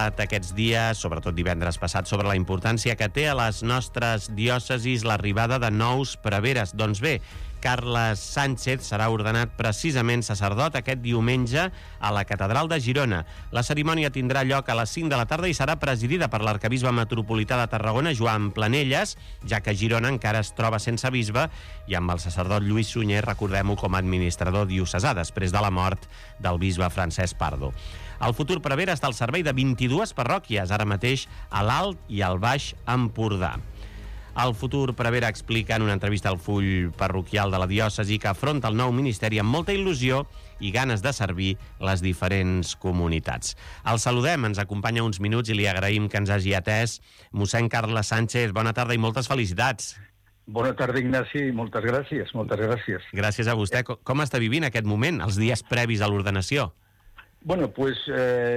parlat aquests dies, sobretot divendres passat, sobre la importància que té a les nostres diòcesis l'arribada de nous preveres. Doncs bé, Carles Sánchez serà ordenat precisament sacerdot aquest diumenge a la Catedral de Girona. La cerimònia tindrà lloc a les 5 de la tarda i serà presidida per l'arquebisbe metropolità de Tarragona, Joan Planelles, ja que Girona encara es troba sense bisbe, i amb el sacerdot Lluís Sunyer, recordem-ho, com a administrador diocesà, després de la mort del bisbe Francesc Pardo. El futur prevere està al servei de 22 parròquies, ara mateix a l'Alt i al Baix Empordà. El futur prevere explica en una entrevista al full parroquial de la diòcesi que afronta el nou ministeri amb molta il·lusió i ganes de servir les diferents comunitats. El saludem, ens acompanya uns minuts i li agraïm que ens hagi atès. Mossèn Carles Sánchez, bona tarda i moltes felicitats. Bona tarda, Ignasi, i moltes gràcies, moltes gràcies. Gràcies a vostè. Com està vivint aquest moment, els dies previs a l'ordenació? Bueno, pues,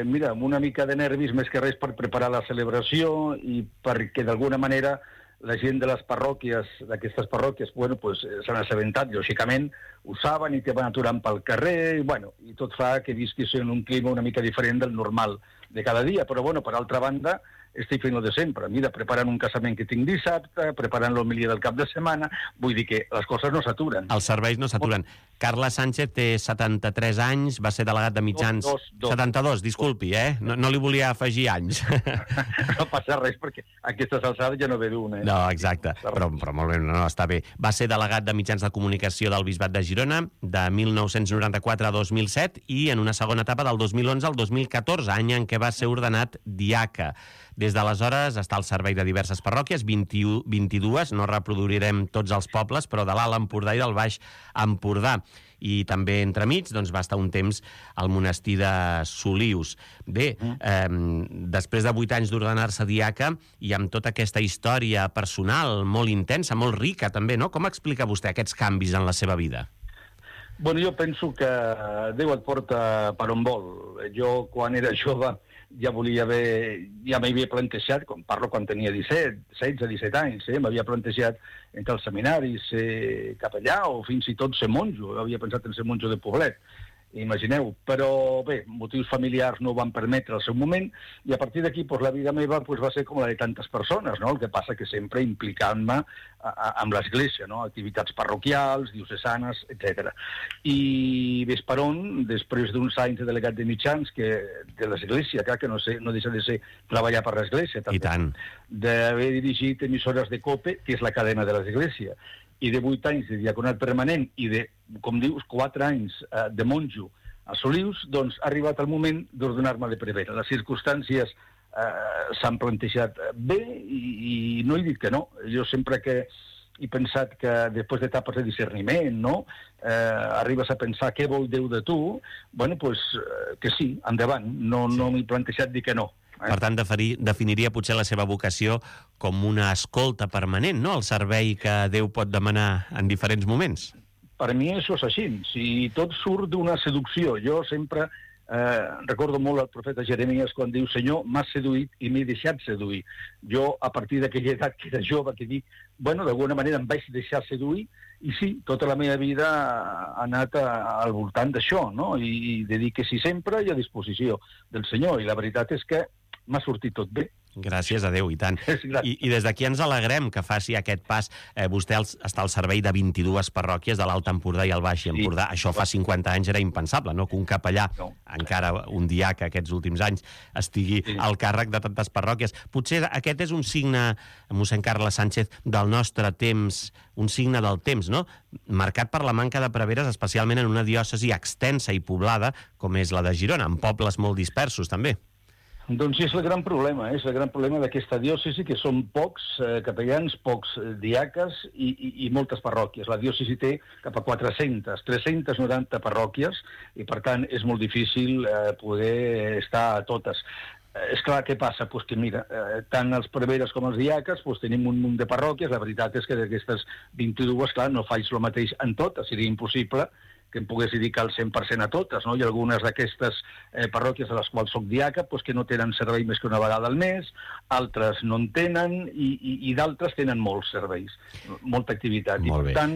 mira, amb una mica de nervis més que res per preparar la celebració i perquè d'alguna manera la gent de les parròquies, d'aquestes parròquies, bueno, pues, s'han assabentat, lògicament, ho saben i te van aturant pel carrer, i tot fa que visquis en un clima una mica diferent del normal de cada dia. Però, bueno, per altra banda, estic fent el de sempre. Mira, preparant un casament que tinc dissabte, preparant l'homilia del cap de setmana, vull dir que les coses no s'aturen. Els serveis no s'aturen. Carles Sánchez té 73 anys, va ser delegat de mitjans... 72, disculpi, No li volia afegir anys. No passa res, perquè a aquestes alçades ja no ve d'una. No, exacte, però molt bé, no, està bé. Va ser delegat de mitjans de comunicació del Bisbat de Girona de 1994 a 2007 i en una segona etapa del 2011 al 2014, any en què va ser ordenat diaca. Des d'aleshores està al servei de diverses parròquies, 22, no reproduirem tots els pobles, però de l'Alt Empordà i del Baix Empordà. I també entremig va estar un temps al monestir de Solius. Bé, després de 8 anys d'ordenar-se diaca i amb tota aquesta història personal molt intensa, molt rica també, no? Com explica vostè aquests canvis en la seva vida? Bueno, jo penso que Déu et porta per on vol. Jo, quan era jove, ja m'havia plantejat, quan tenia 16-17 anys, m'havia plantejat entre els seminaris ser capellà o fins i tot ser monjo. Havia pensat en ser monjo de poblet, imagineu. Però bé, motius familiars no ho van permetre al seu moment i a partir d'aquí la vida meva va ser com la de tantes persones, no? El que passa que sempre implicant-me amb l'Església, no? Activitats parroquials, diocesanes, etc. I ves per on, després d'uns anys de delegat de mitjans de l'Església, que no deixa de ser treballar per l'Església, també, d'haver dirigit emissores de COPE, que és la cadena de l'Església, i de 8 anys de diaconat permanent i de, com dius, 4 anys de monjo a Solius, doncs ha arribat el moment d'ordenar-me de prevere. Les circumstàncies s'han plantejat bé i no he dit que no. Jo sempre que he pensat que després d'etapes de discerniment, no? Arribes a pensar què vol Déu de tu, bueno, pues que sí, endavant. No m'he plantejat dir que no. Per tant, definiria potser la seva vocació com una escolta permanent, no? El servei que Déu pot demanar en diferents moments. Per mi això és així. Si tot surt d'una seducció. Jo sempre recordo molt el profeta Jeremies quan diu: Senyor, m'has seduït i m'he deixat seduir. Jo, a partir d'aquella edat que era jove, que dic, bueno, d'alguna manera em vaig deixar seduir, i sí, tota la meva vida ha anat al voltant d'això, no? I de dir que sí sempre i a disposició del Senyor. I la veritat és que m'ha sortit tot bé. Gràcies a Déu, i tant. I des d'aquí ens alegrem que faci aquest pas. Vostè està al servei de 22 parròquies de l'Alt Empordà i el Baix Empordà. Això fa 50 anys era impensable, no? Que un capellà, encara un diaca aquests últims anys, estigui al càrrec de tantes parròquies. Potser aquest és un signe, mossèn Carles Sánchez, del nostre temps, un signe del temps, no? Marcat per la manca de preveres, especialment en una diòcesi extensa i poblada com és la de Girona, amb pobles molt dispersos, també. Doncs és el gran problema, és el gran problema d'aquesta diòcesi, que són pocs capellans, pocs diaques i moltes parròquies. La diòcesi té cap a 390 parròquies i, per tant, és molt difícil poder estar a totes. És clar, què passa? Pues que mira, tant els preveres com els diaques tenim un munt de parròquies. La veritat és que d'aquestes 22, clar, no faig el mateix en totes, seria impossible que em pogués dedicar el 100% a totes, no? Hi ha algunes d'aquestes parròquies a les quals soc diaca que no tenen servei més que una vegada al mes, altres no en tenen i d'altres tenen molts serveis, molta activitat. I per tant,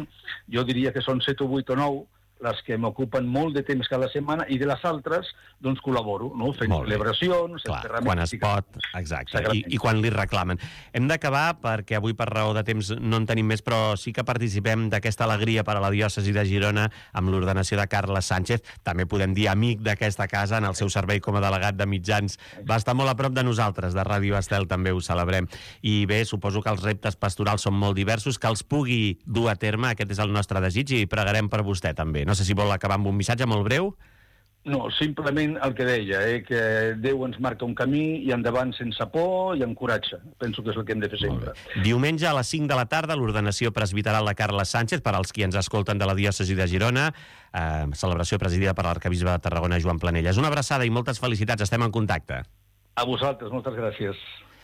jo diria que són 7 o 8 o 9 les que m'ocupen molt de temps cada setmana, i de les altres, doncs, col·laboro, no? Fent celebracions... Clar, quan es pot, exacte, i quan li reclamen. Hem d'acabar, perquè avui per raó de temps no en tenim més, però sí que participem d'aquesta alegria per a la diòcesi de Girona amb l'ordenació de Carles Sánchez, també podem dir amic d'aquesta casa en el seu servei com a delegat de mitjans. Va estar molt a prop de nosaltres, de Ràdio Estel també ho celebrem. I bé, suposo que els reptes pastorals són molt diversos, que els pugui dur a terme, aquest és el nostre desig, i pregarem per vostè també. No sé si vol acabar amb un missatge molt breu. No, simplement el que deia, que Déu ens marca un camí i endavant sense por i amb coratge. Penso que és el que hem de fer sempre. Diumenge a les 5 de la tarda, l'ordenació presbiteral de Carles Sánchez, per als qui ens escolten de la diòcesi de Girona, celebració presidida per l'arcabisbe de Tarragona, Joan Planelles. Una abraçada i moltes felicitats, estem en contacte. A vosaltres, moltes gràcies.